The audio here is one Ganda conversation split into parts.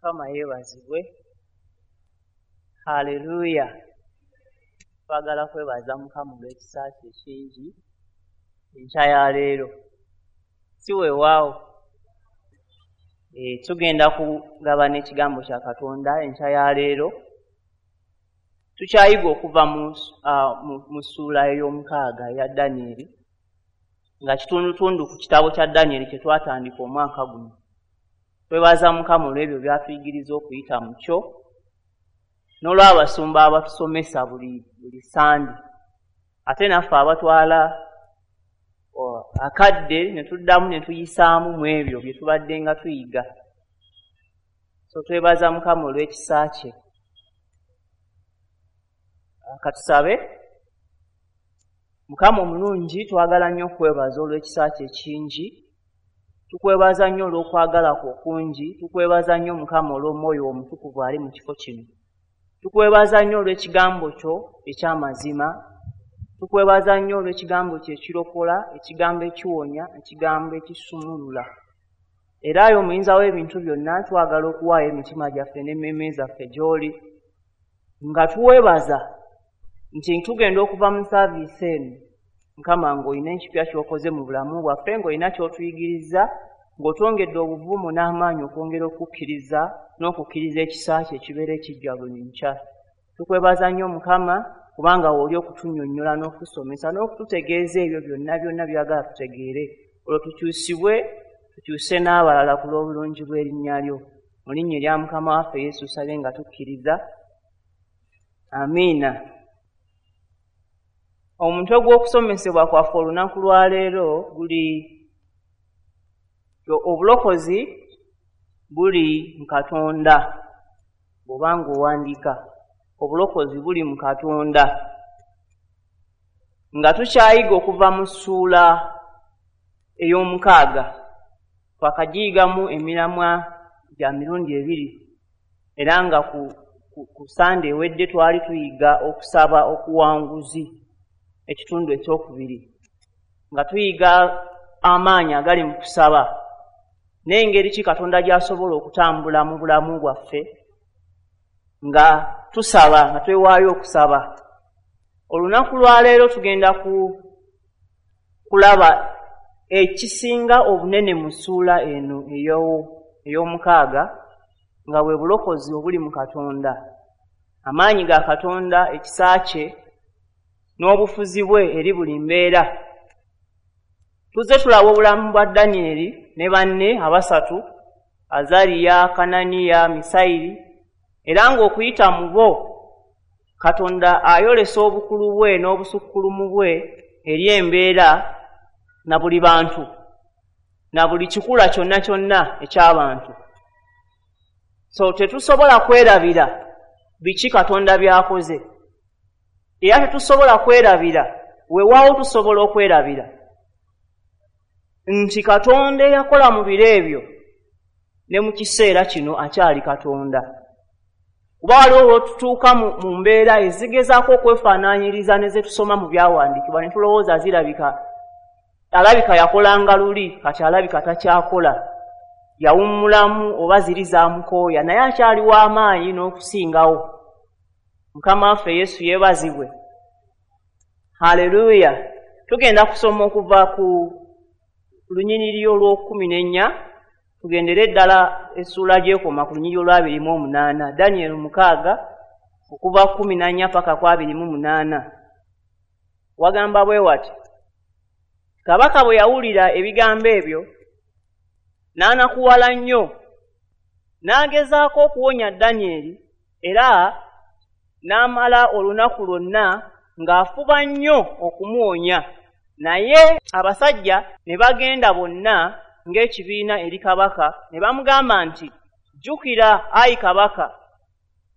Mukama yeebazibwe. Haleluya. Twagala kwebaza Mukama olw'ekisa kye ekingi enkya ya leero. Si weewaawo. Tugenda kugabana ekigambo kya Katonda enkya ya leero. Tukyayiga okuva mu ssuula ey'omukaaga eya Danyeri, nga kitundutundu ku kitabo kya Danyeri kye twatandika omwaka guno. Twebaza Mukama olw'ebyo by'atuyigiriza okuyita mu kyo, n'olw'abasumba abatusomesa buli Sande. Ate naffe abatwala akadde ne tuddamu ne tuyisaamu mu ebyo bye tubadde nga tuyiga. So twebaza Mukama olw'ekisa kye. Katusabe. Mukama omulungi, twagala nnyo okwebaza olw'ekisa kye ekingi. Tukwebaza nnyo olw'okwagala kwo okungi. Tukwebaza nnyo Mukama olw'omwoyo omutukuvu ali mu kifo kino. Tukwebaza nnyo olw'ekigambo kyo eky'amazima. Tukwebaza nnyo olw'ekigambo kyo ekirokola, ekigambo ekiwonya, ekigambo ekisumulula. Era ayi omuyinza w'ebintu byonna, twagala okuwaayo emitima gyaffe n'emmeeme zaffe gy'oli, nga tuwebaza nti tugenda okuva mu saaviisi eno Mukama ng'olina ekipya ky'okoze mu bulamu bwaffe, ng'olina ky'otuyigiriza, ng'otwongedde obuvumu n'amaanyi okwongera okukkiriza n'okukkiriza ekisa kye ekibeera ekijja buli nkya. Tukwebaza nnyo Mukama kubanga w'oli okutunnyonnyola n'okutusomesa n'okututegeeza ebyo byonna byonna by'oyagala tutegeere, olwo tukyusibwe, tukyuse n'abalala ku lw'obulungi bw'erinnya lyo. Mu linnya erya Mukama waffe Yesu tusabye nga tukkiriza. Amiina. Omutwe gw'okusomesebwa kwaffe olunaku lwa leero guli obulokozi buli mu Katonda. Bw'oba ng'owandiika, obulokozi buli mu Katonda. Nga tukyayiga okuva mu ssuula ey'omukaaga, twakagiyigamu emiramwa gya mirundi ebiri, era nga ku Sande ewedde twali tuyiga okusaba okuwanguzi, ekitundu ekyokubiri, nga tuyiga amaanyi agali mu kusaba n'engeri ki Katonda gy'asobola okutambula mu bulamu bwaffe nga tusaba, nga twewaayo okusaba. Olunaku lwa leero tugenda kulaba ekisinga obunene mu ssuula eno ey'omukaaga, nga bwe bulokozi obuli mu Katonda, amaanyi ga Katonda, ekisa kye n'obufuzi bwe eri buli mbeera. Tuzze tulaba obulamu bwa Danyeri ne banne abasatu, Azariya, Kananiya, Misayiri, era ng'okuyita mu bo Katonda ayolesa obukulu bwe n'obusukkulumu bwe eri embeera na buli bantu na buli kikula kyonna kyonna eky'abantu. So tetusobola kwerabira biki Katonda by'akoze, era tetusobola kwerabira, weewaawo tusobola okwerabira nti Katonda eyakola mu biro ebyo ne mu kiseera kino akyali Katonda. Kuba waliwo lw'otutuuka mu mbeera ezigezaako okwefaanaanyiriza ne ze tusoma mu byawandiikibwa ne tulowooza zirabika, alabika yakolanga luli, kati alabika takyakola, yawummulamu oba ziri zaamukooya, naye akyali w'amaanyi n'okusingawo. Mukama waffe Yesu yeebazibwe. Haleluya. Tugenda kusoma okuva ku lunyiriri olw'okkumi n'ennya, tugendere ddala essuula gy'ekoma ku lunyiriri olw'abiri mu omunaana. Danyeri 6 okuva 14 paka ku 28. Wagamba bwe wati: Kabaka bwe yawulira ebigambo ebyo n'anakuwala nnyo, n'agezaako okuwonya Danyeri, era n'amala olunaku lwonna ng'afuba nnyo okumuwonya. Naye abasajja ne bagenda bonna ng'ekibiina eri kabaka, ne bamugamba nti, Jjukira, ayi kabaka,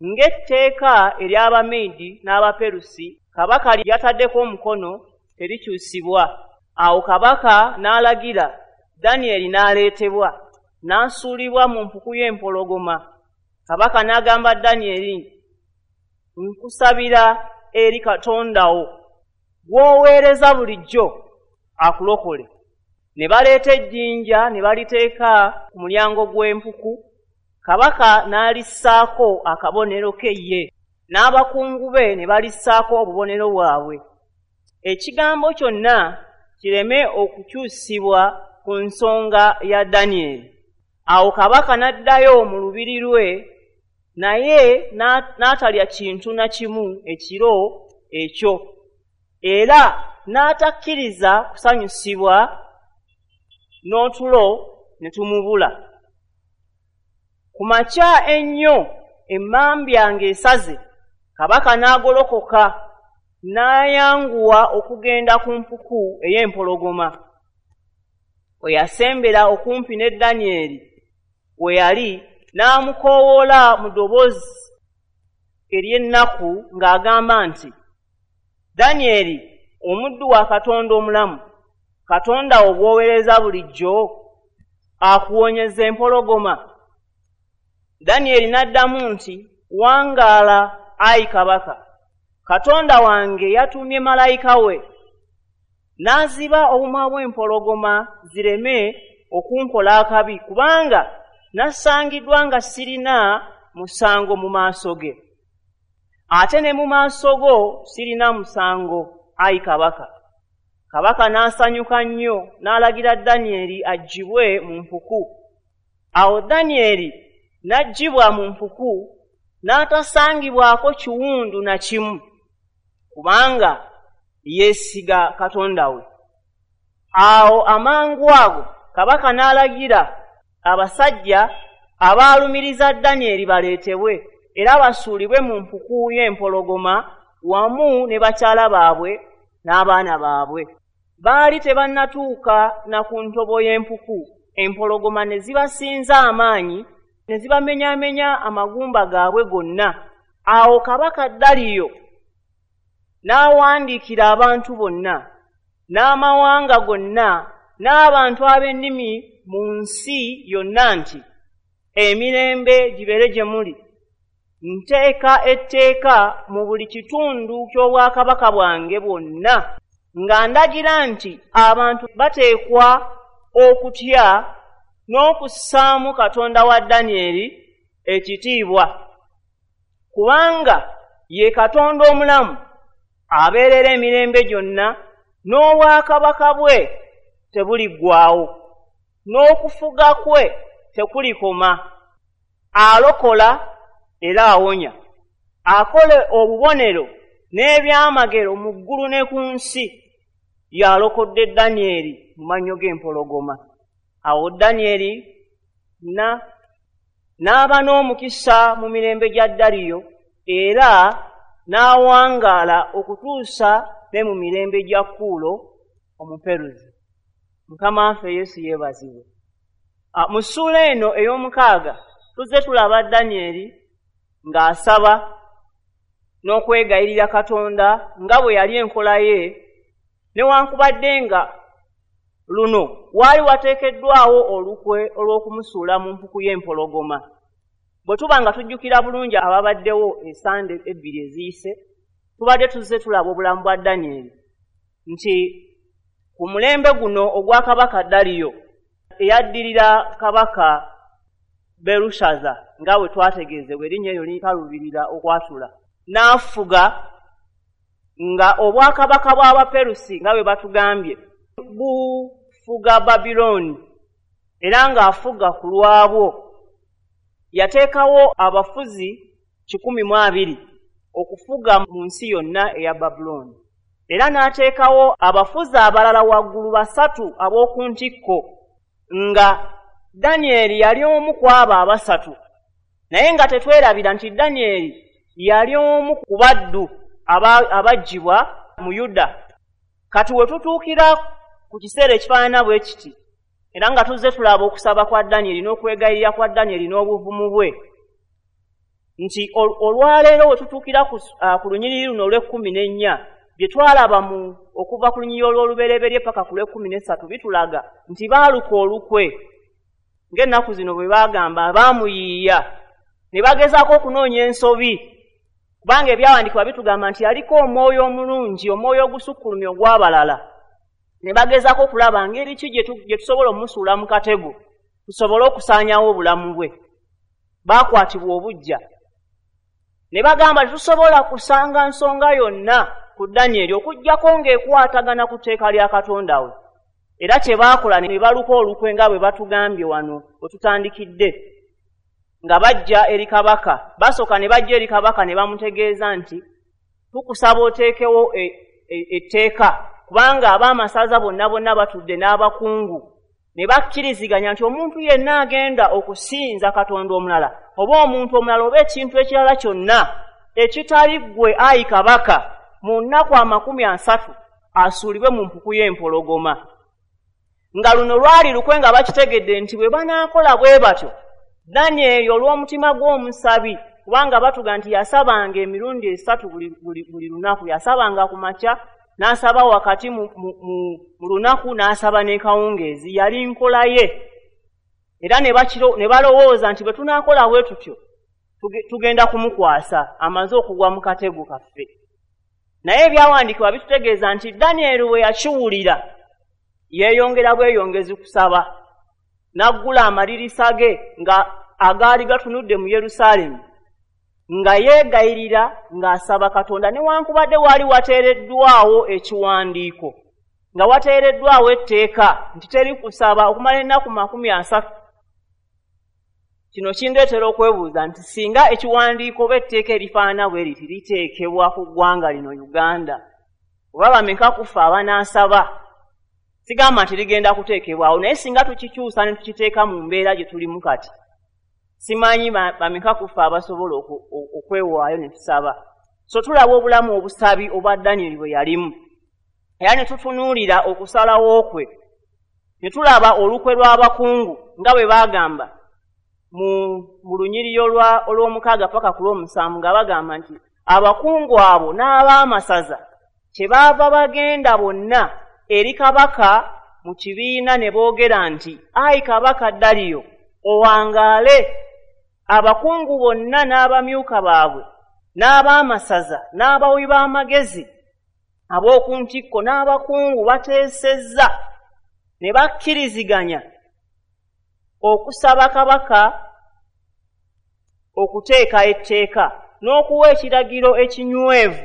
ng'etteeka ery'Abameedi n'Abaperusi kabaka lyataddeko omukono terikyusibwa. Awo kabaka n'alagira, Danyeri n'aleetebwa, n'asuulibwa mu mpuku y'empologoma. Kabaka n'agamba Danyeri, nkusabira eri Katonda wo gw'oweereza bulijjo akulokole. Ne baleeta ejjinja ne baliteeka ku mulyango gw'empuku. Kabaka n'alissaako akabonero ke ye, n'abakungu be ne balissaako obubonero bwabwe. Ekigambo kyonna kireme okukyusibwa ku nsonga ya Danyeri. Awo kabaka n'addayo mu lubiri lwe, naye n'atalya kintu na kimu ekiro ekyo, era n'atakkiriza kusanyusibwa n'otulo ne tumubula. Ku makya ennyo emmambya ng'esaze, kabaka n'agolokoka n'ayanguwa okugenda ku mpuku ey'empologoma. We yasembera okumpi ne Danyeri we yali, n'amukoowoola mu ddoboozi ery'ennaku ng'agamba nti, Danyeri, omuddu wa Katonda omulamu, Katonda wo gw'oweereza bulijjo, akuwonyeza empologoma. Danyeri n'addamu nti, Wangaala, ayi kabaka. Katonda wange yatumye malayika we, n'aziba obumwa bw'empologoma zireme okunkola akabi, kubanga nasangiddwa nga sirina musango mu maaso ge. Ate ne mu maaso go sirina musango, ayi kabaka. Kabaka n'asanyuka nnyo, n'alagira Danyeri aggyibwe mu mpuku. Awo Danyeri n'aggyibwa mu mpuku, n'atasangibwako kiwundu na kimu, kubanga yeesiga Katonda we. Awo amangu ago kabaka n'alagira abasajja abaalumiriza Danyeri baleetebwe, era basuulibwe mu mpuku y'empologoma wamu ne bakyala baabwe n'abaana baabwe. Baali tebannatuuka na ku ntobo y'empuku, empologoma ne zibasinza amaanyi, ne zibamenyaamenya amagumba gaabwe gonna. Awo kabaka Daliyo n'awandiikira abantu bonna, n'amawanga gonna, n'abantu ab'ennimi mu nsi yonna nti, emirembe gibeere gye muli. Nteeka etteeka mu buli kitundu ky'obwakabaka bwange bwonna, nga ndagira nti abantu bateekwa okutya n'okussaamu Katonda wa Danyeri ekitiibwa, kubanga ye Katonda omulamu abeerera emirembe gyonna, n'obwakabaka bwe tebuliggwaawo, n'okufuga kwe tekulikoma. Alokola era awonya, akola obubonero n'ebyamagero mu ggulu ne ku nsi. Yalokodde Danyeri mu mannyo g'empologoma. Awo Danyeri n'aba n'omukisa mu mirembe gya Daliyo, era n'awangaala okutuusa ne mu mirembe gya Kuulo Omuperuzi. Mukama waffe Yesu yeebazibwe. Mu ssuula eno ey'omukaaga tuzze tulaba Danyeri ng'asaba n'okwegayirira Katonda nga bwe yali enkola ye, newankubadde nga luno waali wateekeddwawo olukwe olw'okumusuula mu mpuku y'empologoma. Bwe tuba nga tujjukira bulungi ababaddewo esande ebbiri eziyise, tubadde tuzze tulaba obulamu bwa Danyeri nti ku mulembe guno ogwa kabaka Daliyo, eyaddirira kabaka Berushaza, nga bwe twategeezebwa erinnya eryo likalubirira okwatula, n'afuga nga obwakabaka bw'Abaperusi nga bwe batugambye bufuga Babilooni, era ng'afuga ku lwabwo. Yateekawo abafuzi 120 okufuga mu nsi yonna eya Babulooni, era n'ateekawo abafuzi abalala waggulu 3 ab'oku ntikko, nga Danyeri yali omu ku abo 3. Naye nga tetwerabira nti Danyeri yali omu ku baddu abaggyibwa mu Yuda. Kati we tutuukira ku kiseera ekifaanana bwe kiti, era nga tuzze tulaba okusaba kwa Danyeri n'okwegayirira kwa Danyeri n'obuvumu bwe, nti olwaleero we tutuukira ku lunyiriri luno olw'e14, bye twalaba mu okuva ku lunyiriri olw'olubereberye paka ku lw'e13 bitulaga nti baaluka olukwe, ng'ennaku zino bwe baagamba baamuyiiya, ne bagezaako okunoonya ensobi, kubanga ebyawandiikibwa bitugamba nti yaliko omwoyo omulungi, omwoyo ogusukkulumye ogw'abalala. Ne bagezaako okulaba ngeri ki gye tusobola omusuula mu katego, tusobole okusaanyaawo obulamu bwe. Baakwatibwa obuggya ne bagamba, tetusobola kusanga nsonga yonna ku Danyeri okuggyako ng'ekwatagana ku tteeka lya Katonda we. Era kye baakola ne baluka olukwe nga bwe batugambye wano we tutandikidde, nga bajja eri kabaka. Basooka ne bajja eri kabaka ne bamutegeeza nti, tukusaba oteekewo etteeka, kubanga ab'amasaza bonna bonna batudde n'abakungu ne bakkiriziganya nti omuntu yenna agenda okusinza Katonda omulala oba omuntu omulala oba ekintu ekirala kyonna ekitali ggwe ayi kabaka, mu nnaku 30 asuulibwe mu mpuku y'empologoma. Nga luno lwali lukwe nga bakitegedde nti bwe banaakola bwe batyo, Danyeri olw'omutima gw'omusabi, kubanga batuga nti yasabanga emirundi 3 buli lunaku, yasabanga ku makya, n'asaba wakati mu lunaku, n'asaba n'ekawungeezi, yali nkola ye. Era ne balowooza nti bwe tunaakola bwe tutyo tugenda kumukwasa amaze okugwa mu katego kaffe. Naye ebyawandiikibwa bitutegeeza nti Danyeri bwe yakiwulira yeeyongera bweyongezi kusaba, n'aggula amadirisa ge nga agaali gatunudde mu Yerusaalemi, nga yeegayirira ng'asaba Katonda, newankubadde waali wateereddwawo ekiwandiiko, nga wateereddwawo etteeka nti teri kusaba okumala ennaku 30. Kino kindeetera okwebuuza nti singa ekiwandiiko oba etteeka erifaanana bwe riti liteekebwa ku ggwanga lino Uganda, oba bameka kufa abanaasaba? Sigamba nti ligenda kuteekebwawo, naye singa tukikyusa ne tukiteeka mu mbeera gye tulimu kati, simanyi bameka kufa abasobola okwewaayo ne tusaba. So tulaba obulamu obusabi obwa Danyeri bwe yalimu, era ne tutunuulira okusalawo kwe, ne tulaba olukwe lw'abakungu nga bwe baagamba mu lunyiriri olw'omukaaga paka ku lw'omusanvu, nga bagamba nti abakungu abo n'ab'amasaza kyebaava bagenda bonna eri kabaka mu kibiina ne boogera nti, ayi kabaka Daliyo, owangaale. Abakungu bonna n'abamyuka baabwe n'ab'amasaza n'abawi b'amagezi ab'oku ntikko n'abakungu bateesezza ne bakkiriziganya okusaba kabaka okuteeka etteeka n'okuwa ekiragiro ekinywevu,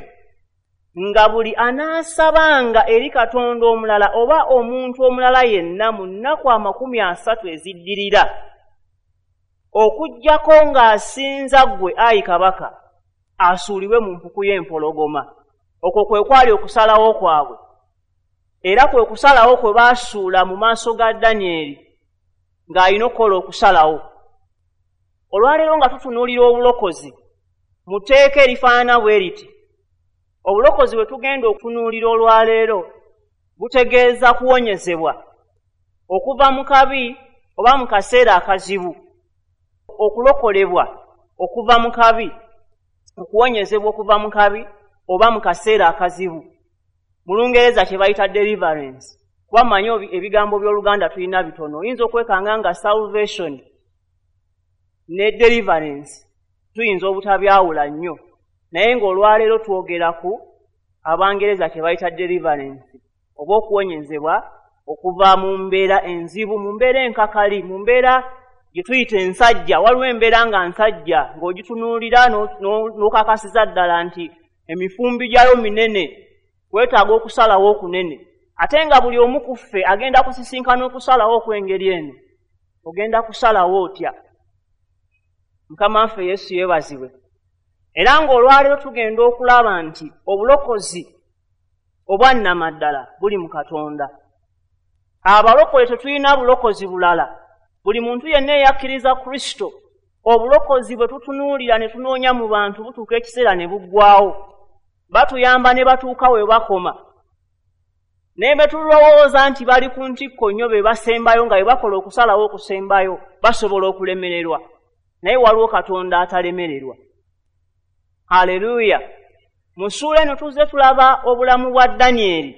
nga buli anaasabanga eri Katonda omulala oba omuntu omulala yenna mu nnaku 30 eziddirira, okuggyako ng'asinza ggwe ayi kabaka, asuulibwe mu mpuku y'empologoma. Okwo kwe kwali okusalawo kwabwe, era kwe kusalawo kwe baasuula mu maaso ga Danyeri ng'alina okukola okusalawo. Olwaleero nga tutunuulira obulokozi mu tteeka erifaanana bwe riti, obulokozi bwe tugenda okutunuulira olwaleero butegeeza kuwonyezebwa okuva mu kabi oba mu kaseera akazibu, okulokolebwa okuva mu kabi, okuwonyezebwa okuva mu kabi oba mu kaseera akazibu. Mu Lungereza kye bayita deliverance. Kuba mmanyi ebigambo by'Oluganda tulina bitono, oyinza okwekanga nga salvation ne deliverance tuyinza obutabyawula nnyo, naye ng'olwaleero twogera ku Abangereza kye bayita deliverance, oba okuwonyezebwa okuva mu mbeera enzibu, mu mbeera enkakali, mu mbeera gye tuyita ensajja. Waliwo embeera nga nsajja ng'ogitunuulira n'okakasiza ddala nti emifumbi gyayo minene, weetaaga okusalawo okunene. Ate nga buli omu ku ffe agenda kusisinkana okusalawo okw'engeri eno. Ogenda kusalawo otya? Mukama waffe Yesu yeebazibwe. Era ng'olwaleero tugenda okulaba nti obulokozi obwannamaddala buli mu Katonda. Abalokole tetulina bulokozi bulala. Buli muntu yenna eyakkiriza Kristo, obulokozi bwe tutunuulira ne tunoonya mu bantu butuuka ekiseera ne buggwaawo. Batuyamba ne batuuka we bakoma. Naye bwe tulowooza nti bali ku ntikko nnyo be basembayo, nga bwe bakola okusalawo okusembayo, basobola okulemererwa. Naye waliwo Katonda atalemererwa. Haleluya! Mu ssuula eno tuzze tulaba obulamu bwa Danyeri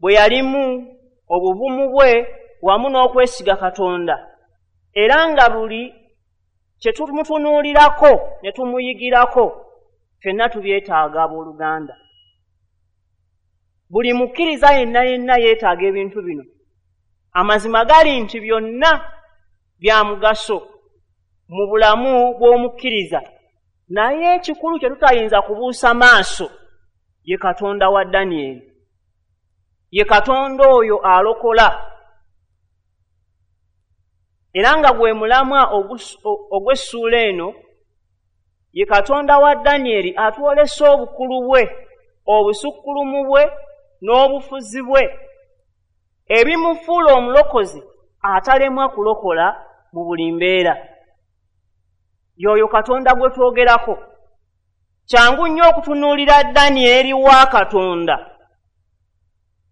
bwe yalimu, obuvumu bwe wamu n'okwesiga Katonda, era nga buli kye tumutunuulirako ne tumuyigirako ffenna tubyetaaga abooluganda. Buli mukkiriza yenna yenna yeetaaga ebintu bino. Amazima gali nti byonna bya mugaso, mu bulamu bw'omukkiriza, naye ekikulu kye tutayinza kubuusa maaso ye Katonda wa Danyeri, ye Katonda oyo alokola, era nga gwe mulamwa ogw'essuula eno. Ye Katonda wa Danyeri atwolesa obukulu bwe, obusukkulumu bwe n'obufuzi bwe, ebimufuula omulokozi atalemwa kulokola mu buli mbeera. Y'oyo Katonda gwe twogerako. Kyangu nnyo okutunuulira Danyeri wa Katonda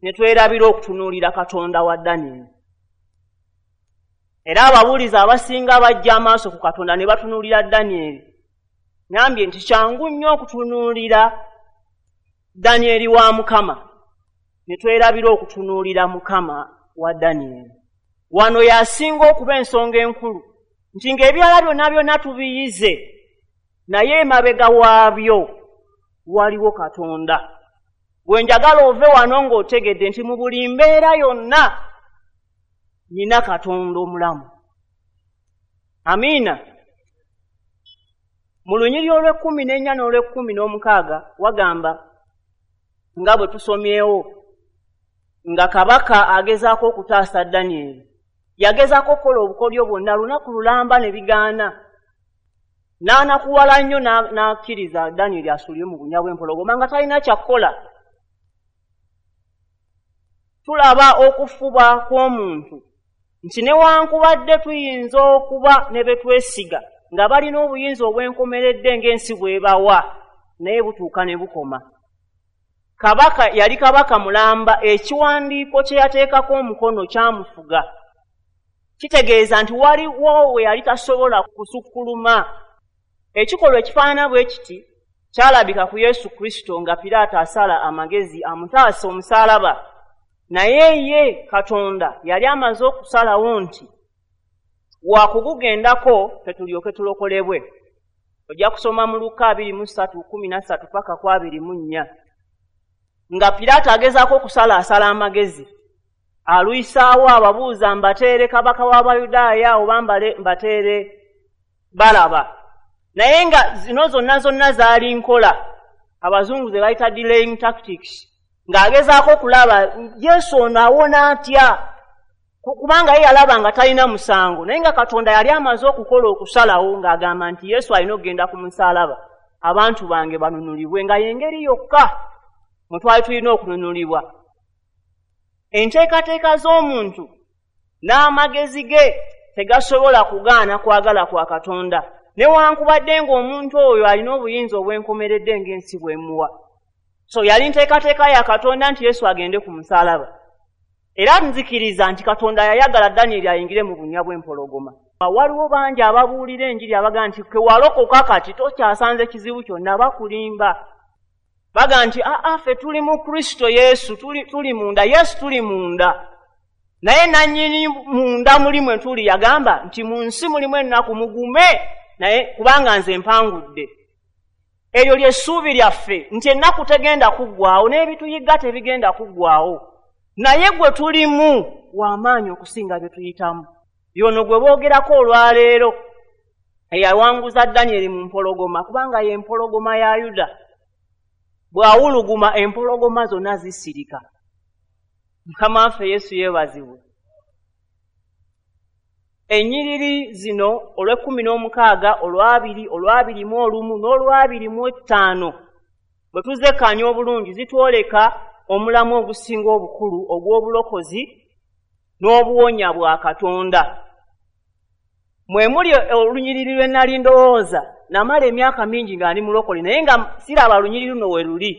ne twerabira okutunuulira Katonda wa Danyeri. Era ababuulizi abasinga bajja amaaso ku Katonda ne batunuulira Danyeri. Ngambye nti kyangu nnyo okutunuulira Danyeri wa Mukama ne twerabira okutunuulira Mukama wa Danyeri. Wano yasinga okuba ensonga enkulu nti ng'ebirala byonna byonna tubiyize, naye emabega waabyo waliwo Katonda. Bwe njagala ove wano ng'otegedde nti mu buli mbeera yonna nina Katonda omulamu. Amiina. Mu lunyiriri olw'e14 n'olw'e16 wagamba nga bwe tusomyewo nga kabaka agezaako okutaasa Danyeri. Yagezaako okukola obukodyo bwonna lunaku lulamba ne bigaana. N'anakuwala nnyo n'akkiriza Danyeri asuulibwe mu bunnya bw'empologoma nga talina kyakukola. Tulaba okufuba kw'omuntu nti newankubadde tuyinza okuba ne be twesiga nga balina obuyinza obwenkomeredde ng'ensi bw'ebawa, naye butuuka ne bukoma. Kabaka yali kabaka mulamba, ekiwandiiko kye yateekako omukono kyamufuga. Kitegeeza nti waliwo we yali tasobola kusukkuluma. Ekikolwa ekifaanana bwe kiti kyalabika ku Yesu Kristo nga Piraato asala amagezi amutaase omusaalaba, naye ye Katonda yali amaze okusalawo nti wakugugendako ffe tulyoke tulokolebwe. Ojja kusoma mu Luka 23:13 paka 24. Nga Piraato agezaako okusalaasala amagezi, aluyisaawo ababuuza mbateere kabaka w'Abayudaaya oba mbateere Balaba. Naye nga zino zonna zonna zaali nkola abazungu ze bayita delaying tactics, ng'agezaako okulaba Yesu ono awona atya, kubanga ye yalaba nga talina musango, naye nga Katonda yali amaze okukola okusalawo ng'agamba nti Yesu alina okugenda ku musaalaba abantu bange banunulibwe, nga y'engeri yokka mwe twali tulina okununulibwa. Enteekateeka z'omuntu n'amagezi ge tegasobola kugaana kwagala kwa Katonda, newankubadde ng'omuntu oyo alina obuyinza obwenkomeredde ng'ensi bw'emuwa. So yali nteekateeka ya Katonda nti Yesu agende ku musaalaba. Era nzikiriza nti Katonda yayagala Danyeri ayingire mu bunnya bw'empologoma. Waliwo bangi ababuulira enjiri abagamba nti kewalokoka kati tokyasanze kizibu kyonna, bakulimba. Bagamba nti aa ffe tuli mu Kristo Yesu, tuli munda, Yesu tuli munda. Naye nannyini munda muli mwe tuli yagamba nti mu nsi mulimu ennaku, mugume, naye kubanga nze mpangudde. Eryo ly'essuubi lyaffe nti ennaku tegenda kuggwaawo n'ebituyiga tebigenda kuggwaawo, naye gwe tulimu w'amaanyi okusinga bye tuyitamu. Yono gwe boogerako olwaleero eyawanguza Danyeri mu mpologoma, kubanga ye mpologoma ya Yuda. Bw'awuluguma empologoma zonna zisirika. Mukama waffe Yesu yeebazibwe. Ennyiriri zino olw'e16, olw'abiri, olw'abiri mu olumu n'olw'abiri mu ttaano bwe tuzekkaanya obulungi zitwoleka omulamu ogusinga obukulu ogw'obulokozi n'obuwonya bwa Katonda. Mwe muli olunyiriri lwe nali ndowooza, namala emyaka mingi nga ndi mulokole, naye nga siraba lunyiriri luno we luli.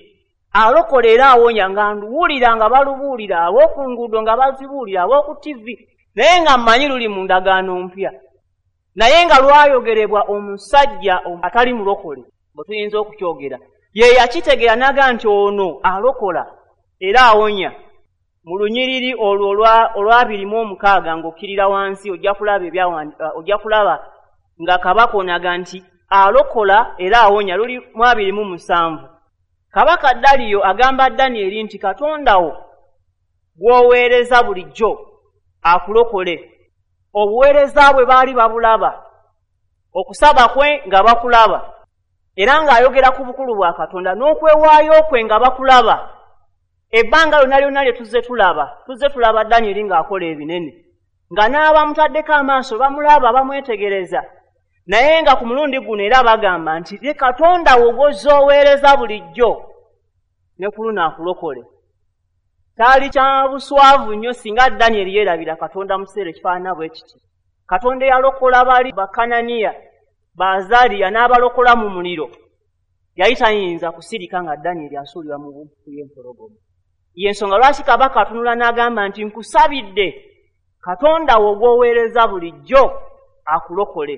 Alokola era awonya, nga nduwulira nga balubuulira ab'oku nguudo, nga bazibuulira ab'oku TV, naye nga mmanyi luli mu ndagaano mpya, naye nga lwayogerebwa omusajja atali mulokole, bwe tuyinza okukyogera. Ye yakitegeera n'agamba nti ono alokola era awonya. Mu lunyiriri olwo olw'abiri mu ng'okkirira wansi ojja kulaba ojja kulaba nga kabaka onaga nti alokola era awonya, luli mu 27. Kabaka Daliyo agamba Danyeri nti Katonda wo gw'oweereza bulijjo akulokole. Obuweereza bwe baali babulaba. Okusaba kwe nga bakulaba, era ng'ayogera ku bukulu bwa Katonda n'okwewaayo kwe nga bakulaba. Ebbanga lyonna lyonna lye tuzze tulaba Danyeri ng'akola ebinene, nga n'abamutaddeko amaaso bamulaba, bamwetegereza. Naye nga ku mulundi guno era bagamba nti ye Katonda wo gw'ozooweereza bulijjo ne ku luno akulokole. Kyali kya buswavu nnyo singa Danyeri yeerabira Katonda mu kiseera ekifaanana bwe kiti. Katonda eyalokola bali Bakananiya, Baazaliya n'abalokola mu muliro, yali tayinza kusirika nga Danyeri asuulibwa mu mpuku y'empologoma. Y'ensonga lwaki kabaka atunula n'agamba nti nkusabidde Katonda wo gw'oweereza bulijjo akulokole.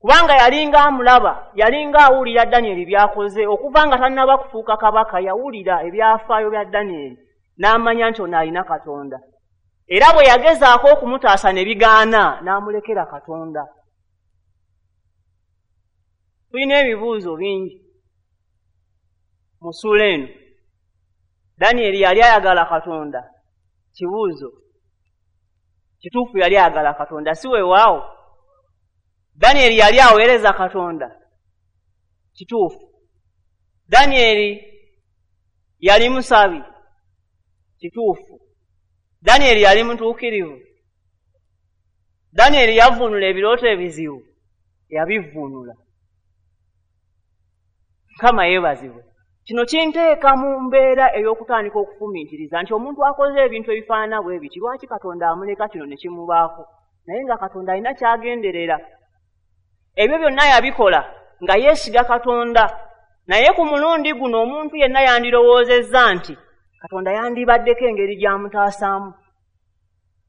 Kubanga yalinga amulaba, yalinga awulira Danyeri by'akoze. Okuva nga tannaba kufuuka kabaka, yawulira ebyafaayo bya Danyeri n'amanya nti ono alina Katonda. Era bwe yagezaako okumutaasa ne bigaana, n'amulekera Katonda. Tulina ebibuuzo bingi mu ssuula eno. Danyeri yali ayagala Katonda? Kibuuzo. Kituufu yali ayagala Katonda, si weewaawo? Danyeri yali aweereza Katonda? Kituufu. Danyeri yali musabi? Kituufu. Danyeri yali mutuukirivu? Danyeri yavvuunula ebirooto ebizibu? Yabivvuunula. Mukama yeebazibwe. Kino kinteeka mu mbeera ey'okutandika okufumiitiriza nti omuntu akoze ebintu ebifaanana bwe biti, lwaki Katonda amuleka kino ne kimubaako? Naye nga Katonda alina ky'agenderera. Ebyo byonna yabikola nga yeesiga Katonda. Naye ku mulundi guno omuntu yenna yandirowoozezza nti Katonda yandibaddeko engeri gy'amutaasaamu.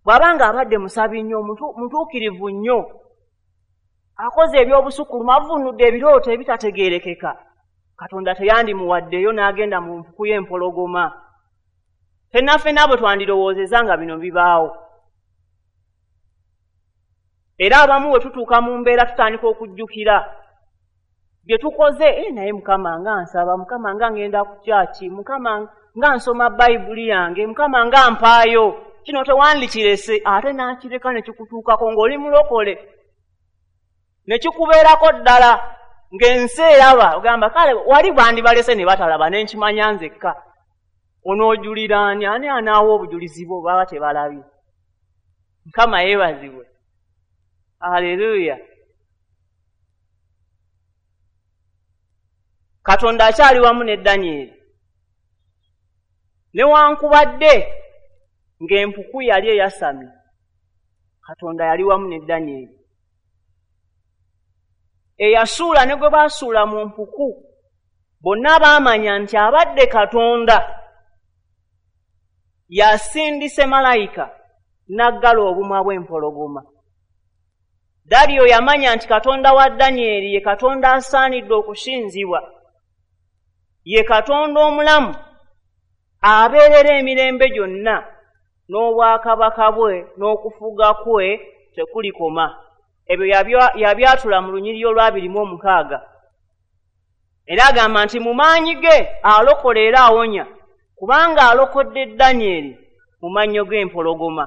Bw'aba ng'abadde musabi nnyo, mutuukirivu nnyo, akoze eby'obusukulumu, avvuunudde ebirooto ebitategeerekeka, Katonda teyandimuwaddeyo n'agenda mu mpuku y'empologoma. Ffenna ffenna bwe twandirowoozezza nga bino bibaawo. Era abamu bwe tutuuka mu mbeera tutandika okujjukira bye tukoze. Naye Mukama nga nsaba, Mukama nga ngenda ku kyaki, Mukama nga nsoma Bayibuli yange, Mukama nga mpaayo, kino tewandikirese, ate n'akireka ne kikutuukako ng'oli mulokole, ne kikubeerako ddala ng'ensi eraba. Ogamba kale wali bandibalese ne batalaba, ne nkimanya nzekka. Onoojulira ani? Ani anaawa obujulizi bwo baba tebalabye? Mukama yeebazibwe. Haleluya. Katonda akyali wamu ne Danyeri. Newankubadde ng'empuku yali eyasamye, Katonda yali wamu ne Danyeri. Eyasuula ne gwe baasuula mu mpuku, bonna baamanya nti abadde Katonda yasindise malayika n'aggala obumwa bw'empologoma. Daliyo yamanya nti Katonda wa Danyeri ye Katonda asaanidde okusinzibwa, ye Katonda omulamu abeerera emirembe gyonna, n'obwakabaka bwe n'okufuga kwe tekulikoma. Ebyo yabyatula mu lunyiriri olwa 26. Era agamba nti mu maanyi ge alokola era awonya, kubanga alokodde Danyeri mu mannyo g'empologoma.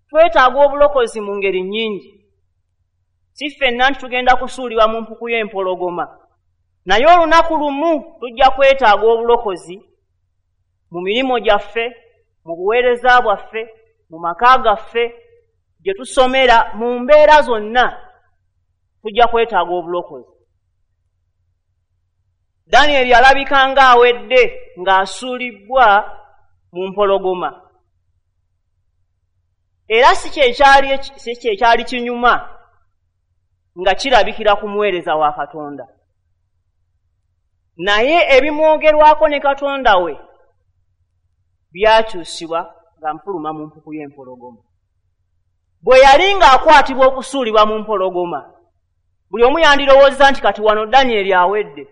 Twetaaga obulokozi mu ngeri nnyingi. Si ffenna nti tugenda kusuulibwa mu mpuku y'empologoma, naye olunaku lumu tujja kwetaaga obulokozi mu mirimu gyaffe, mu buweereza bwaffe, mu maka gaffe, gye tusomera, mu mbeera zonna tujja kwetaaga obulokozi. Danyeri alabika ng'awedde ng'asuulibbwa mu mpologoma. Era si kyekyali kinyuma nga kirabikira ku muweereza wa Katonda. Naye ebimwogerwako ne Katonda we byakyusibwa nga nfuluma mu mpuku y'empologoma. Bwe yali ng'akwatibwa okusuulibwa mu mpologoma, buli omu yandirowoozza nti kati wano Danyeri awedde.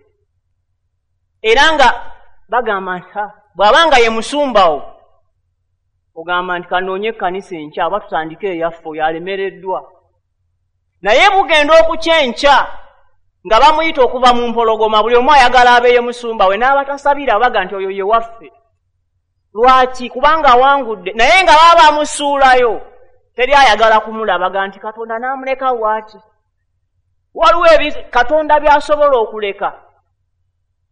Era nga bagamba nti bw'aba nga ye musumbawo, ogamba nti kanoonye ekkanisa enkya oba tutandike eyaffe, oyo alemereddwa. Naye bugenda okukya enkya nga bamuyita okuva mu mpologoma, buli omu ayagala abeeye musumba we, n'abatasabira baga nti oyo ye waffe. Lwaki? Kubanga awangudde. Naye nga baba bamusuulayo Teri ayagala kumulabaga nti Katonda n'amuleka waaki. Waliwo Katonda by'asobola okuleka,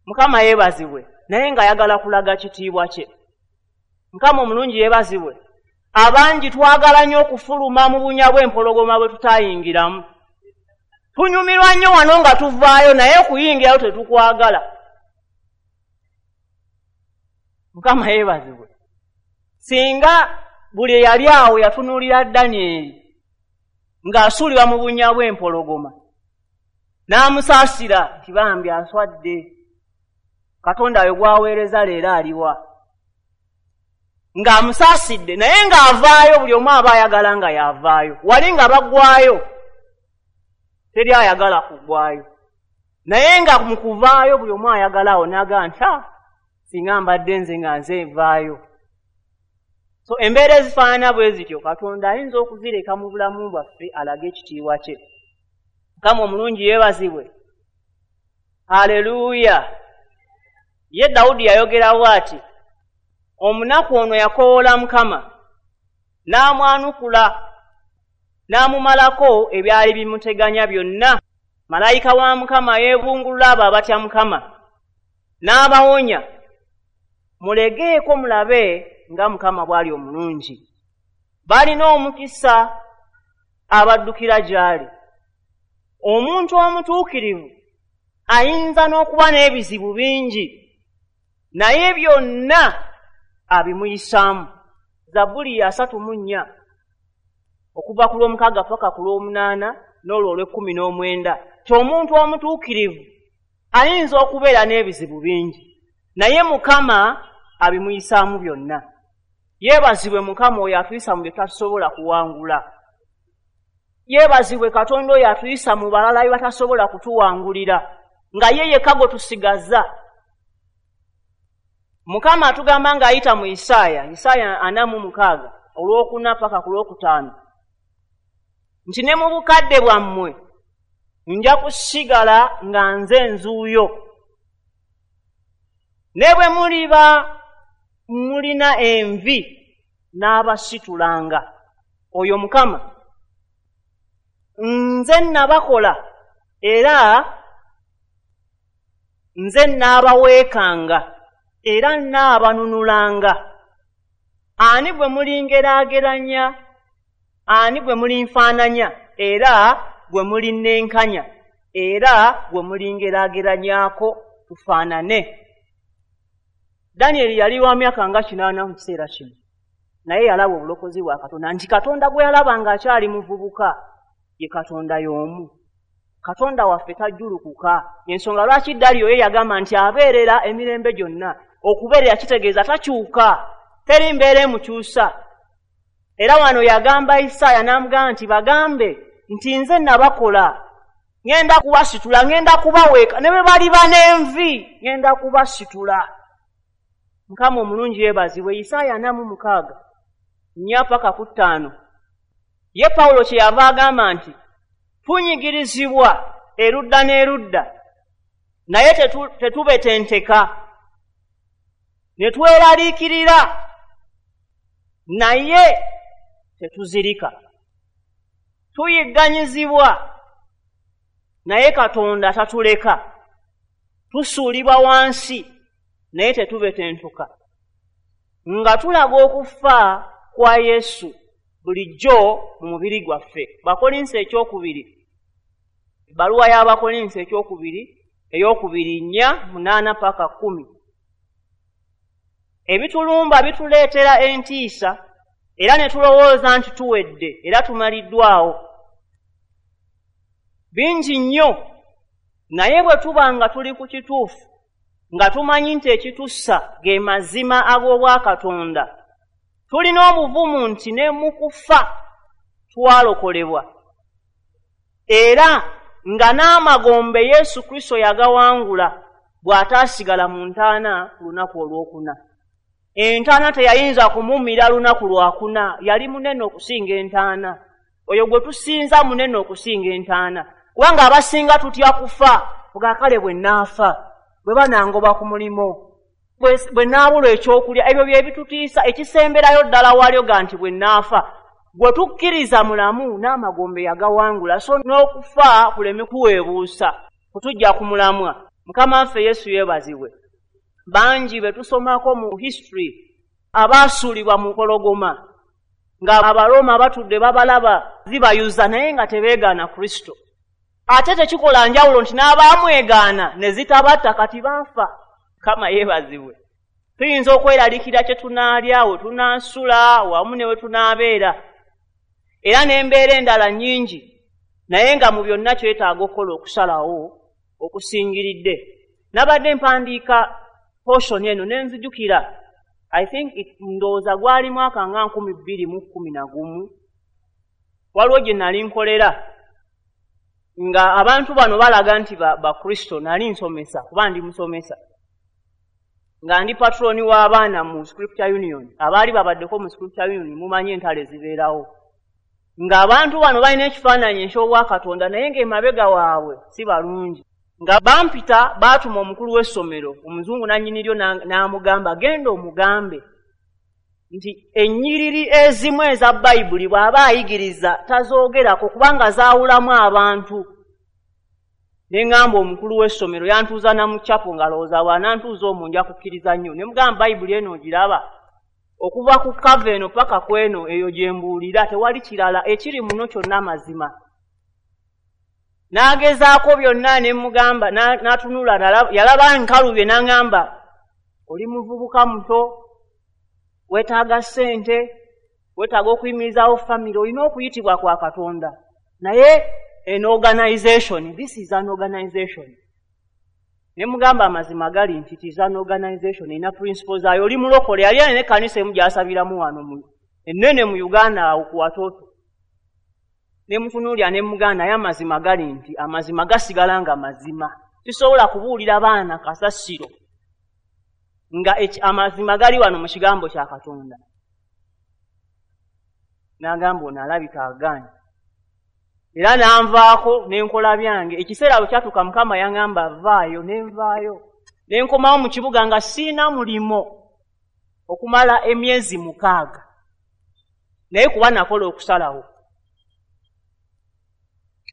Mukama yeebazibwe, naye ng'ayagala kulaga kitiibwa kye. Mukama omulungi yeebazibwe. Abangi twagala nnyo okufuluma mu bunya bw'empologoma bwe tutayingiramu. Tunyumirwa nnyo wano nga tuvaayo, naye okuyingirayo tetukwagala. Mukama yeebazibwe. Singa buli eyali awo yatunuulira Danyeri ng'asuulibwa mu bunnya bw'empologoma, n'amusaasira nti bambi aswadde, Katonda we gw'aweereza leero aliwa, ng'amusaasidde, naye ng'avaayo buli omu aba ayagala nga y'avaayo. Wali nga baggwayo, teri ayagala kuggwayo, naye nga mu kuvaayo buli omu ayagala awo n'agamba nti singa mbadde nze nga nze nvaayo. So embeera ezifaanana bwe zityo Katonda ayinza okuzireka mu bulamu bwaffe alage ekitiibwa kye. Mukama omulungi yeebazibwe. Haleluya. Ye Dawudi yayogera bw'ati, omunaku ono yakowoola Mukama, n'amwanukula, n'amumalako ebyali bimuteganya byonna. Malayika wa Mukama yeebungulula abo abatya Mukama, n'abawonya. Mulegeeko mulabe nga Mukama bw'ali omulungi. Balina omukisa abaddukira gy'ali. Omuntu omutuukirivu ayinza n'okuba n'ebizibu bingi, naye byonna abimuyisaamu. Zabbuli ya 34 okuva ku lw'omukaaga paka ku lw'omunaana n'olwo olw'ekkumi n'omwenda. Ti omuntu omutuukirivu ayinza okubeera n'ebizibu bingi, naye Mukama abimuyisaamu byonna. Yeebazibwe Mukama oyo atuyisa mu bye tutasobola kuwangula. Yeebazibwe Katonda oyo atuyisa mu balala bye batasobola kutuwangulira, nga ye yekka gwe tusigaza. Mukama atugamba ng'ayita mu Isaaya, Isaaya 46 olwokuna paka ku lwokutaano, nti ne mu bukadde bwammwe nja kusigala nga nze nzuuyo, ne bwe muliba mulina envi n'abasitulanga. Oyo Mukama nze nabakola era nze naabaweekanga era naabanunulanga. Ani gwe mulingeraageranya? Ani gwe mulinfaananya? Era gwe mulinnenkanya? Era gwe mulingeraageranyaako tufaanane? Danyeri yali wa myaka nga 80 mu kiseera kino, naye yalaba obulokozi bwa Katonda, nti Katonda gwe yalaba ng'akyali muvubuka ye Katonda y'omu. Katonda waffe tajjulukuka. Ensonga lwaki Daliyo ye yagamba nti abeerera emirembe gyonna. Okubeerera kitegeeza takyuka, teri mbeera emukyusa. Era wano yagamba Isaaya n'amugamba nti bagambe nti nze nabakola, ŋŋenda kubasitula, ŋŋenda kubaweeka, ne bwe baliba n'envi ŋŋenda kubasitula. Mukama omulungi yeebazibwe. Isaaya 46 4 paka ku 5. Ye Pawulo kye yava agamba nti tunyigirizibwa erudda n'erudda, naye tetubetenteka, ne tweraliikirira, naye tetuzirika. Tuyigganyizibwa, naye Katonda tatuleka. Tusuulibwa wansi, naye tetubetentuka. Nga tulaga okufa kwa Yesu bulijjo mu mubiri gwaffe. Bakolinso ekyokubiri, ebbaluwa y'Abakolinso ekyokubiri, ey'okubiri 4 8 paka 10. Ebitulumba bituleetera entiisa, era ne tulowooza nti tuwedde era tumaliddwawo. Bingi nnyo, naye bwe tuba nga tuli ku kituufu, nga tumanyi nti ekitussa ge mazima ag'obwakatonda, tulina obuvumu nti ne mu kufa twalokolebwa, era nga n'amagombe Yesu Kristo yagawangula bw'ataasigala mu ntaana ku lunaku olwokuna. Entaana teyayinza kumumira lunaku lwakuna, yali munene okusinga entaana. Oyo gwe tusinza munene okusinga entaana, kubanga abasinga tutya kufa. Kale bwe naafa, bwe banangoba ku mulimu, bwe naabulwa ekyokulya, ebyo bye bitutiisa. Ekisemberayo ddala walyo ga nti bwe naafa. Gwe tukkiriza mulamu n'amagombe yagawangula, so n'okufa kuleme kuweebuusa kutujja ku mulamwa. Mukama waffe Yesu yeebazibwe. Bangi be tusomako mu history abaasuulibwa mu mpologoma nga Abaroma batudde babalaba zibayuza, naye nga tebeegaana Kristo. Ate tekikola njawulo nti n'abaamwegaana ne zitabatta, kati baafa. Mukama yeebazibwe. Tuyinza okweraliikirira kye tunaalya, we tunaasula, wamu ne we tunaabeera, era n'embeera endala nnyingi, naye nga mu byonna kyetaaga okukola okusalawo okusingiridde. Nabadde mpandiika portion eno ne nzijukira, I think ndowooza gwali mwaka nga 2011, waliwo gye nali nkolera nga abantu bano balaga nti Bakristo. Nali nsomesa, kuba ndi musomesa, nga ndi patroni w'abaana mu Scripture Union. Abaali babaddeko mu Scripture Union mumanyi entalo ezibeerawo, ng'abantu bano balina ekifaananyi eky'obwakatonda, naye ng'emabega waabwe si balungi. Nga bampita, baatuma omukulu w'essomero omuzungu nannyiniryo n'amugamba, genda omugambe nti ennyiriri ezimu eza Bayibuli bw'aba ayigiriza tazoogerako kubanga zaawulamu abantu. Ne ŋŋamba omukulu w'essomero, yantuuza na mu chapo ng'alowooza bw'anantuuza omwo nja kukkiriza nnyo. Ne mugamba, Bayibuli eno ogiraba, okuva ku kava eno paka ku eno, eyo gye mbuulira, tewali kirala ekiri muno kyonna mazima. N'agezaako byonna ne mugamba, n'atunula, yalaba nkalubye n'aŋŋamba, oli muvubuka muto, weetaaga ssente, weetaaga okuyimirizaawo famire, olina okuyitibwa kwa Katonda, naye an organization, this is an organization. Ne mugamba amazima gali nti it is an organization, erina principles zaayo, oli mulokole. Yali alina ekkanisa emu gy'asabiramu wano ennene mu Uganda awo ku Watoto. Ne mutunuulira ne mugamba, naye amazima gali nti amazima gasigala nga mazima. Sisobola kubuulira baana kasasiro nga amazima gali wano mu kigambo kya Katonda. N'agamba ono alabika agaanye, era n'anvaako ne nkola byange. Ekiseera bwe kyatuuka Mukama yaŋŋamba vaayo, ne nvaayo, ne nkomawo mu kibuga nga siina mulimo okumala emyezi 6, naye kuba nakola okusalawo.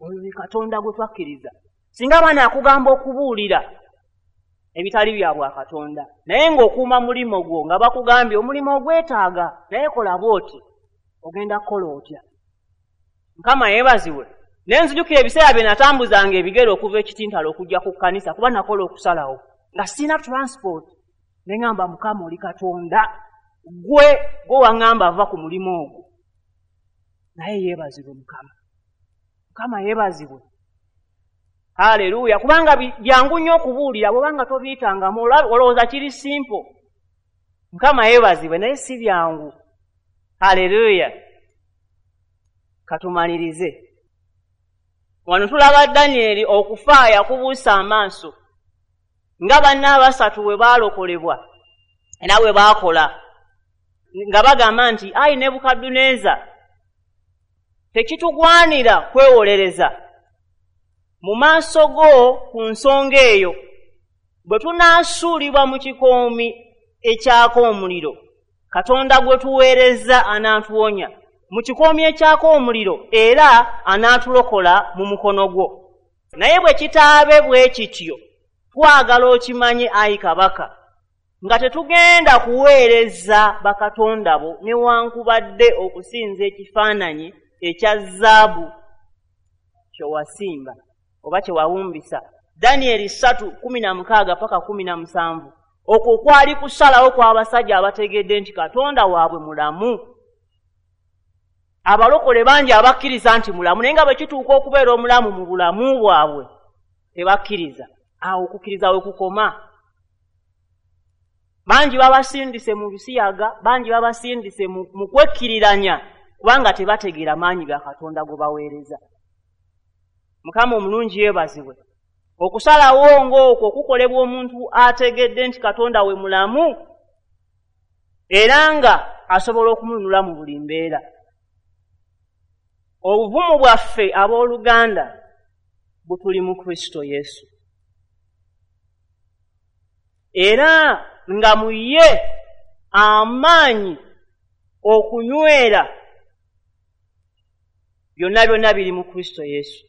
Oyo ye Katonda gwe twakkiriza. Singa abaana akugamba okubuulira ebitali bya bwakatonda, naye ng'okuuma mulimo gwo, nga bakugambye omulimu ogwetaaga, naye kola bw'oti, ogenda kukola otya? Mukama yeebazibwe. Ne nzijukira ebiseera bye natambuzanga ebigere okuva ekitintalo okujja ku kkanisa, kuba nakola okusalawo nga sirina transport. Ne ŋŋamba, Mukama oli Katonda, gwe waŋŋamba ava ku mulimu ogwo. Naye yeebazibwe Mukama. Mukama yeebazibwe. Haleluya. Kubanga byangu nnyo okubuulira bw'obanga tobiyitangamu, olowooza kiri simple. Mukama yeebazibwe, naye si byangu. Haleluya. Katumalirize. Wano tulaba Danyeri okufa yakubuusa amaaso nga banne abasatu bwe baalokolebwa era bwe baakola, nga bagamba nti ayi Nebukadduneeza, tekitugwanira kwewolereza mu maaso go ku nsonga eyo, bwe tunaasuulibwa mu kikoomi ekyaka omuliro, Katonda gwe tuweereza anaatuwonya mu kikoomi ekyaka omuliro, era anaatulokola mu mukono gwo. Naye bwe kitaabe bwe kityo, twagala okimanye ayi kabaka, nga tetugenda kuweereza bakatonda bo newankubadde okusinza ekifaananyi ekya zaabu kye wasimba oba kye wawumbisa. Danyeri 3:16 paka 17. Okwo kwali kusalawo kw'abasajja abategedde nti Katonda waabwe mulamu. Abalokole bangi abakkiriza nti mulamu, naye nga bwe kituuka okubeera omulamu mu bulamu bwabwe tebakkiriza. Awo okukkiriza we kukoma. Bangi babasindise mu bisiyaga, bangi babasindise mu kwekkiriranya, kubanga tebategeera maanyi ga Katonda gwe baweereza. Mukama omulungi yeebazibwe. Okusalawo ng'okwo kukolebwa omuntu ategedde nti Katonda we mulamu era nga asobola okumununula mu buli mbeera. Obuvumu bwaffe abooluganda butuli mu Kristo Yesu, era nga mu ye amaanyi okunywera Byonna byonna biri mu Kristo Yesu.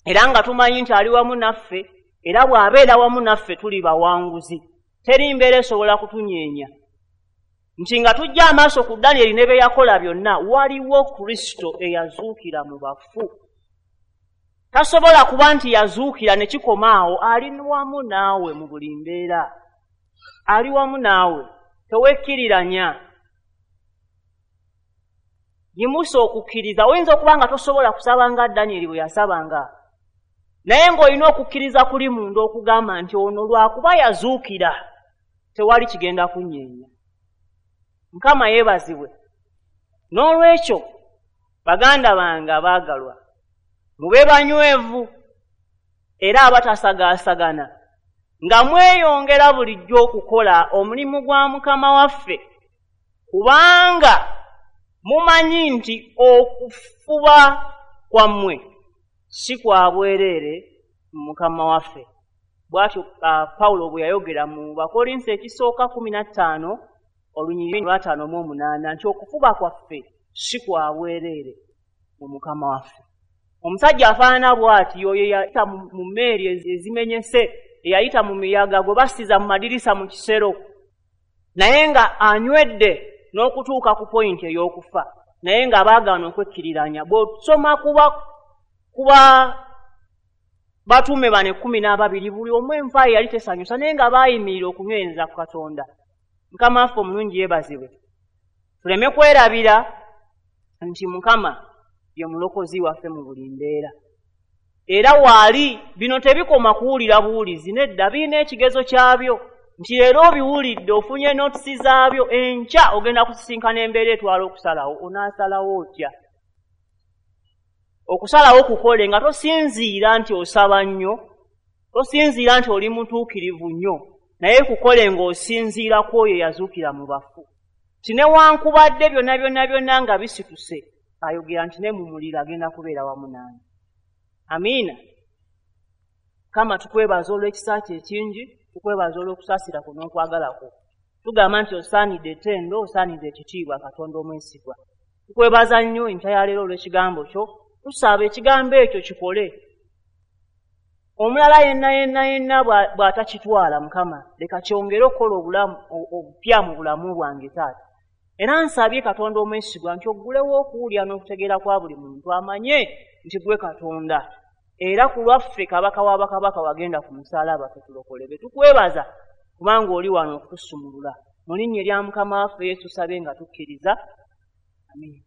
Era nga tumanyi nti ali wamu naffe, era bw'abeera wamu naffe tuli bawanguzi. Teri mbeera esobola kutunyeenya. Nti nga tujja amaaso ku Danyeri ne bye yakola byonna, waliwo Kristo eyazuukira mu bafu. Tasobola kuba nti yazuukira ne kikoma awo, ali wamu naawe mu buli mbeera. Ali wamu naawe, tewekkiriranya. Yimusa okukkiriza. Oyinza okuba nga tosobola kusaba nga Danyeri bwe yasabanga, naye ng'olina okukkiriza kuli munda okugamba nti ono lwakuba yazuukira, tewali kigenda kunyeenya. Mukama yeebazibwe. N'olwekyo baganda bange abaagalwa, mube banywevu era abatasagaasagana, nga mweyongera bulijjo okukola omulimu gwa Mukama waffe, kubanga mumanyi nti okufuba kwammwe si kwa bwereere mu Mukama waffe. Bw'atyo Pawulo bwe yayogera mu Bakolinso ekisooka 15 olunyiriri lwa 58 nti okufuba kwaffe si kwa bwereere mu Mukama waffe. Omusajja afaanana bw'ati oyo eyayita mu mmeeri ezimenyese, eyayita mu miyaga gwe basiza mu madirisa mu kisero, naye nga anywedde n'okutuuka ku pointi ey'okufa, naye nga baagaana okwekkiriranya. Bw'osoma kuba batume bano 12, buli omu enfa ye yali tesanyusa, naye nga baayimirira okunywereza ku Katonda. Mukama waffe omulungi yeebazibwe. Tuleme kwerabira nti Mukama ye mulokozi waffe mu buli mbeera. Era waali bino tebikoma kuwulira buwulizi, nedda, birina ekigezo kyabyo. Nti leero obiwulidde, ofunye notisi zaabyo, enkya ogenda kusisinkana embeera etwala okusalawo. Onaasalawo otya? Okusalawo kukole nga tosinziira nti osaba nnyo, tosinziira nti oli mutuukirivu nnyo, naye kukole ng'osinziira ku oyo eyazuukira mu bafu. Nti newankubadde byonna byonna byonna nga bisituse, ayogera nti ne mu muliro agenda kubeera wamu nange. Amiina. Mukama tukwebaza olw'ekisa kyo ekingi, tukwebaza olw'okusaasira kwo n'okwagala kwo. Tugamba nti osaanidde ettendo, osaanidde ekitiibwa, Katonda omwesigwa. Tukwebaza nnyo enkya ya leero olw'ekigambo kyo. Tusaba ekigambo ekyo kikole. Omulala yenna yenna yenna bw'atakitwala, Mukama, leka kyongere okukola obulamu obupya mu bulamu bwange taata. Era nsabye Katonda omwesigwa nti oggulewo okuwulira n'okutegeera kwa buli muntu, amanye nti gwe Katonda. Era ku lwaffe Kabaka w'abakabaka wagenda ku musaalaba ffe tulokolebwe. Tukwebaza kubanga oli wano okutusumulula. Mu linnya erya Mukama waffe Yesu tusabye nga tukkiriza. Amiina.